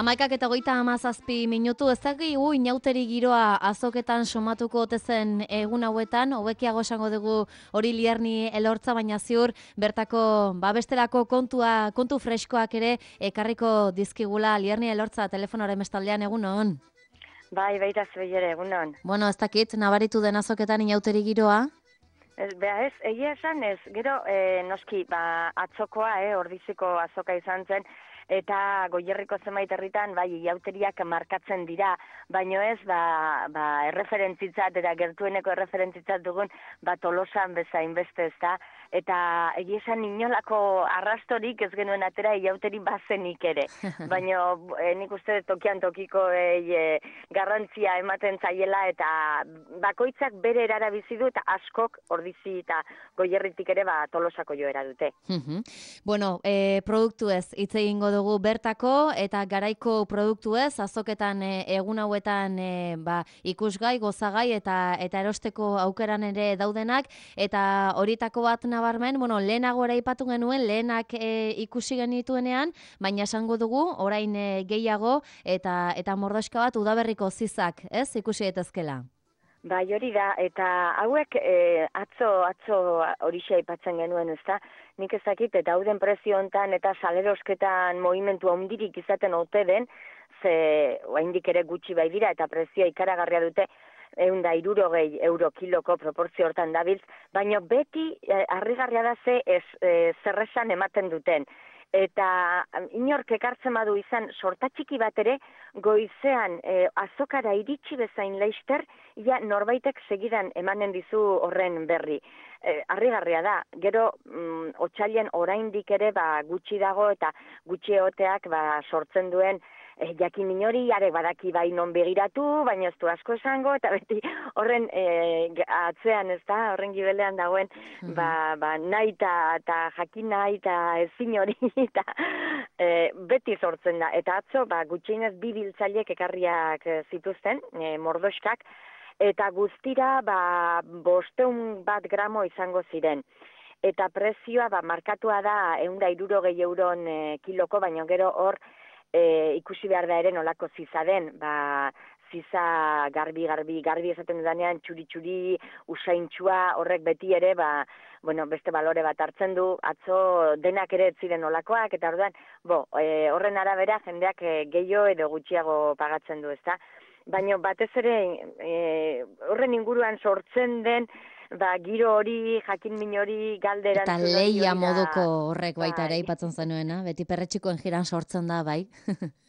11:37 ez dakigu inauteri giroa azoketan somatuko ote zen egun hauetan, hobekiago esango dugu hori Lierni Elortza, baina ziur bertako bestelako kontu freskoak ere ekarriko dizkigula. Lierni Elortza, telefonoaren bestaldean, egunon. Bai, baita zuere, egunon. Bueno, ez dakit, nabaritu den azoketan inauteri giroa? Egia esan ez, gero noski, atzokoa, Ordiziko azoka izan zen, eta Goierriko zenbait herritan, iauteriak markatzen dira, baino ez, erreferentzitzat, eta gertueneko erreferentzitzat dugun, Tolosan bezain beste ez da, eta egia esan inolako arrastorik ez genuen atera iauteri bazenik ere, baino nik uste tokian tokiko garrantzia ematen zaiela, eta bakoitzak bere erara bizi du, eta askok Ordizi eta Goierritik ere Tolosako joera dute. Bueno, produktu ez hitz egingo dugu bertako eta garaiko produktu ez, azoketan egun hauetan ikusgai, gozagai eta erosteko aukeran ere daudenak, eta horietako bat nabarmen, lehenago aipatu genuen, lehenak ikusi genituenean, baina esango dugu, orain gehiago eta mordoska bat udaberriko zizak, ez, ikusi daitezkela. Bai, hori da, eta hauek atzo horixe aipatzen genuen, ezta? Nik ezakit, eta hauden prezio hontan eta salerosketan movimentu handirik izaten ote den, ze oraindik ere gutxi bai dira, eta prezioa ikaragarria dute, 160 euro kiloko proportzio hortan dabiltz, baina beti harrigarria da zerresan ematen duten. Eta inork ekartzen badu izan sorta txiki bat ere, goizean azokara iritsi bezain leister, norbaitek segidan emanen dizu horren berri. Harrigarria da, gero otsailean oraindik ere gutxi dago eta gutxi egoteak sortzen duen jakin minori, arek badaki bai non begiratu, baina ez du asko esango, eta beti horren atzean ez da, horren gibelean dagoen, nahi eta jakin nahi eta ezin hori, eta beti sortzen da. Eta atzo, gutxienez 2 biltzaileek ekarriak zituzten, mordoskak, eta guztira 500 gramo izango ziren. Eta prezioa markatua da 160 euron kiloko, baina gero hor ikusi behar da ere nolako ziza den, ziza garbi esaten dudanean, txuri-txuri, usaintxua, horrek beti ere, beste balore bat hartzen du, atzo denak ere ez ziren nolakoak, eta orduan, horren arabera jendeak gehiago edo gutxiago pagatzen du, ezta? Baina batez ere horren inguruan sortzen den, giro hori, jakin min hori, galderan... Eta lehia moduko horrek baita ere aipatzen zenuena, beti perretxikoen jiran sortzen da, bai?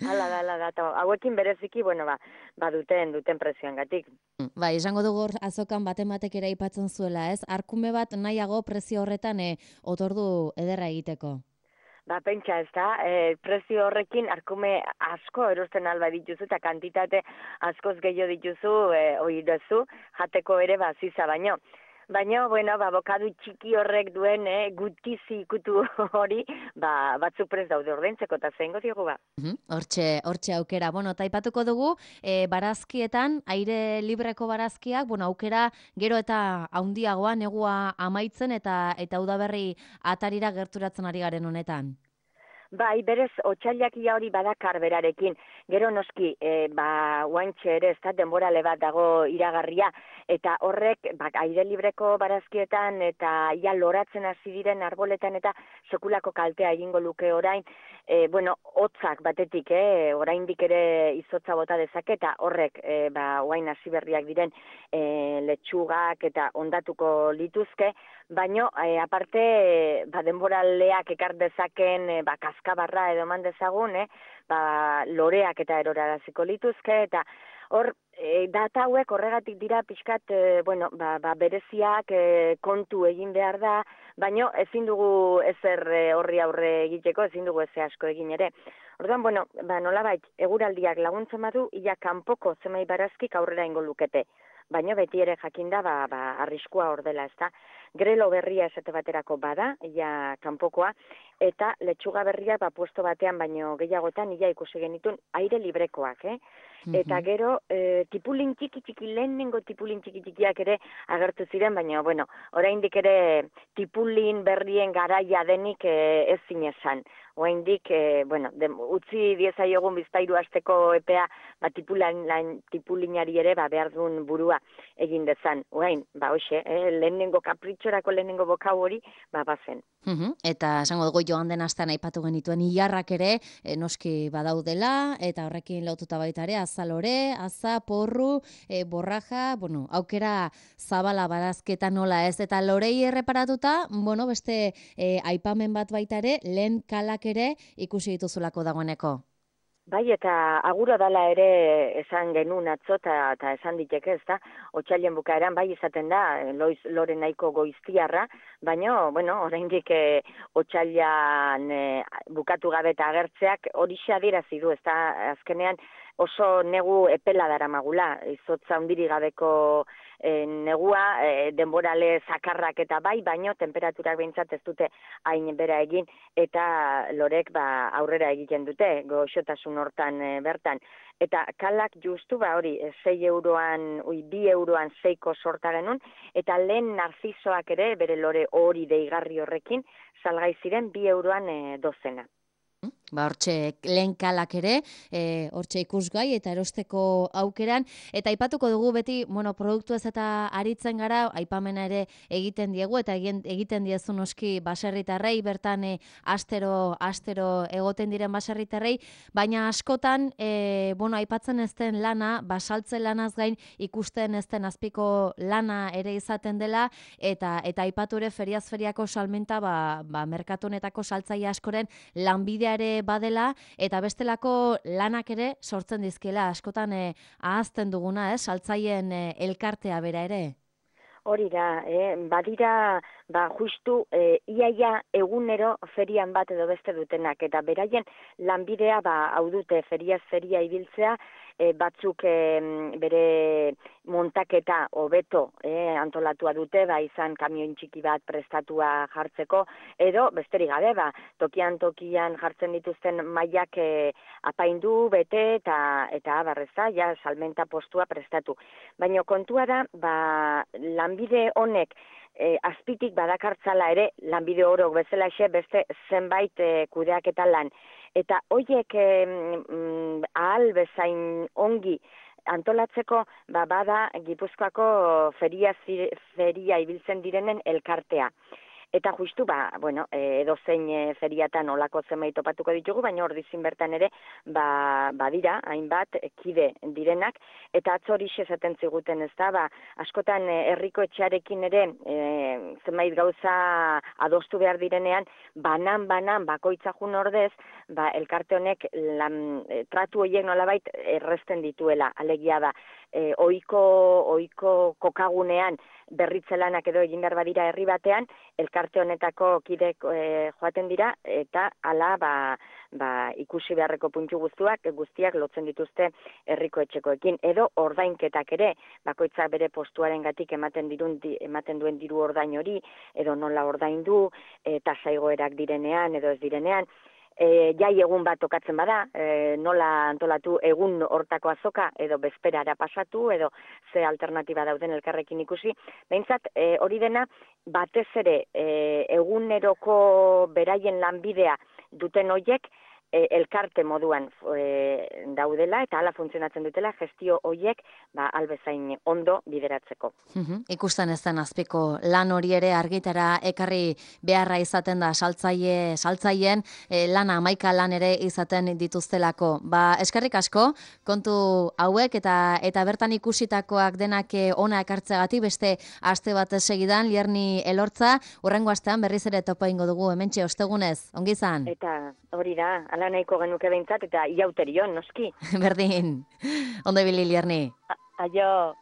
Hala da, eta hauekin bereziki, duten prezioangatik. Bai, esango dugu azokan batek ere aipatzen zuela, ez? Arkume bat nahiago prezio horretan otordu ederra egiteko. Pentsa ez da, prezio horrekin arkume asko erosten alba dituzu eta kantitate askoz gehiago dituzu, hori duzu, jateko ere ziza baino. Baina, bokadu txiki horrek duen gutizi ikutu hori, batzu prez daude ordaintzeko eta zein diogu Hortxe aukera. Eta aipatuko dugu, barazkietan, aire libreko barazkiak, aukera gero eta haundiagoa, negua amaitzen eta udaberri atarira gerturatzen ari garen honetan. Bai, berez, otsailak hori badakar berarekin. Gero noski, guantxe ere, ez da, denborale bat dago iragarria, eta horrek, aire libreko barazkietan, eta loratzen hasi diren arboletan, eta sekulako kaltea egingo luke orain, hotzak batetik, oraindik ere izotza bota dezake, eta horrek, orain hasi berriak diren letxugak eta ondatuko lituzke, baino, aparte, denboraleak ekar dezaken, kaskabarra edo eman dezagun, loreak eta eroraraziko lituzke, eta hor, data hauek horregatik dira pixkat, bereziak kontu egin behar da, baino ezin dugu ezer horri aurre egiteko, ezin dugu ezer asko egin ere. Orduan, nolabait, eguraldiak laguntzen badu, kanpoko zemai barazkik aurrera ingo lukete. Baina beti ere jakinda, arriskua hor dela, ezta. Grelo berria esate baterako bada, kanpokoa, eta letxuga berria puesto batean baino gehiagotan ikusi genitun aire librekoak, Eta gero, tipulin txiki, lehenengo tipulin txikiak ere agertu ziren, baina, oraindik ere tipulin berrien garaia denik ez zinesan. oraindik bueno, utzi diezaiogun bizpairu asteko epea, tipulinari ere behar duen burua egin dezan. Orain, hoxe, lehenengo kapritxorako lehenengo bokau hori, bazen. Eta esango dugu joan den astean aipatu genituen ilarrak ere noski badaudela, eta horrekin lotuta baita ere azalore, aza, porru, borraja, bueno, aukera zabala barazketa nola ez, eta lorei erreparatuta, bueno, beste aipamen bat baita ere, lehen kalak ere ikusi dituzulako dagoeneko. Bai, eta aguro dala ere esan genuen atzo, eta esan diteke, ez da, otsailen bukaeran bai izaten da, lore nahiko goiztiarra, baina, bueno, oraindik otsailan bukatu gabe eta agertzeak horixe adierazi du, ez da, azkenean oso negu epela daramagula, izotza handiri gabeko negua, denborale zakarrak eta bai, baino temperaturak behintzat ez dute hain bera egin, eta lorek aurrera egiten dute, goxotasun hortan bertan. Eta kalak justu, hori, 6 euroan, 2 euroan 6ko sorta genuen, eta lehen narzisoak ere, bere lore hori deigarri horrekin, salgai ziren 2 euroan dozena. Hortxe lehen kalak ere, hortxe ikusgai eta erosteko aukeran, eta aipatuko dugu beti, bueno, produktu ez eta aritzen gara, aipamena ere egiten diegu, eta egiten diezu noski baserritarrei, bertan astero egoten diren baserritarrei, baina askotan, bueno, aipatzen ez den lana, basaltze lanaz gain ikusten ez den azpiko lana ere izaten dela, eta aipatu ere feriaz feriako salmenta, merkatunetako saltzaile askoren lanbideare badela, eta bestelako lanak ere sortzen dizkiela, askotan ahazten duguna, saltzaien elkartea bera ere. Hori da, badira, justu, iaia egunero ferian bat edo beste dutenak, eta beraien lanbidea, hau dute, feriaz feria ibiltzea, batzuk bere montaketa hobeto antolatua dute, izan kamioi txiki bat prestatua jartzeko, edo besterik gabe, tokian jartzen dituzten mailak apaindu, bete, eta abarreza, salmenta postua prestatu. Baina kontua da, lanbide honek azpitik badakartzala ere, lanbide orok bezala beste zenbait kudeaketa lan. Eta horiek ahal bezain ongi antolatzeko, bada Gipuzkoako feria ibiltzen direnen elkartea. Eta justu, edozein feriatan olako zenbait topatuko ditugu, baina hor dizin bertan ere, badira, hainbat, kide direnak, eta atzo hori esaten ziguten ez da, askotan herriko etxearekin ere, zenbait gauza adostu behar direnean, banan, bakoitza jun ordez, elkarte honek tratu horiek nolabait erresten dituela, alegia da, ohiko kokagunean berritzelanak edo egin behar badira herri batean, elkarte honetako kidek joaten dira, eta hala ikusi beharreko puntu guztiak lotzen dituzte herriko etxekoekin. Edo ordainketak ere, bakoitzak bere postuaren gatik ematen duen diru ordain hori, edo nola ordaindu, tasa igoerak direnean edo ez direnean, jai egun bat tokatzen bada, nola antolatu egun hortako azoka, edo bezperara pasatu, edo ze alternatiba dauden elkarrekin ikusi. Behintzat, hori dena, batez ere, eguneroko beraien lanbidea duten hoiek, elkarte moduan daudela, eta hala funtzionatzen dutela, gestio hoiek albezain ondo bideratzeko. Ikusten ez den azpiko lan hori ere argitara ekarri beharra izaten da saltzaien lana 11 lan ere izaten dituztelako. Eskerrik asko, kontu hauek eta bertan ikusitakoak denak ona ekartzeagatik beste aste bat segidan, Lierni Elortza, hurrengo astean berriz ere topa ingo dugu, hementxe ostegunez, ongi izan. Eta hori da, ala nahiko genuke behintzat, eta iauterion, noski. Berdin, ondo ibili, Lierni. Aio.